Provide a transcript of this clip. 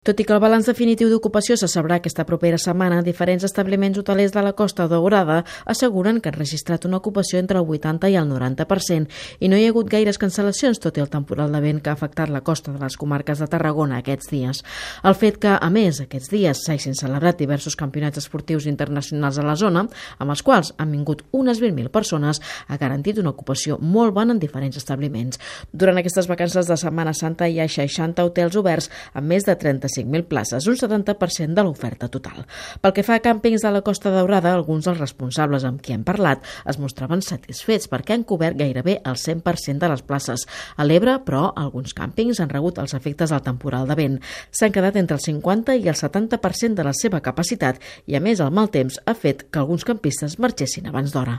Tot i que el balanç definitiu d'ocupació se sabrà aquesta propera setmana, diferents establiments hotelers de la Costa Daurada asseguren que han registrat una ocupació entre el 80 i el 90% i no hi ha hagut gaires cancel·lacions, tot i el temporal de vent que ha afectat la costa de les comarques de Tarragona aquests dies. El fet que, a més, aquests dies s'hagin celebrat diversos campionats esportius internacionals a la zona, amb els quals han vingut unes 20.000 persones, ha garantit una ocupació molt bona en diferents establiments. Durant aquestes vacances de Setmana Santa hi ha 60 hotels oberts amb més de 35.000 places, un 70% de l'oferta total. Pel que fa a càmpings de la Costa Daurada, alguns dels responsables amb qui hem parlat es mostraven satisfets perquè han cobert gairebé el 100% de les places. A l'Ebre, però, alguns càmpings han rebut els efectes del temporal de vent. S'han quedat entre el 50 i el 70% de la seva capacitat i, a més, el mal temps ha fet que alguns campistes marxessin abans d'hora.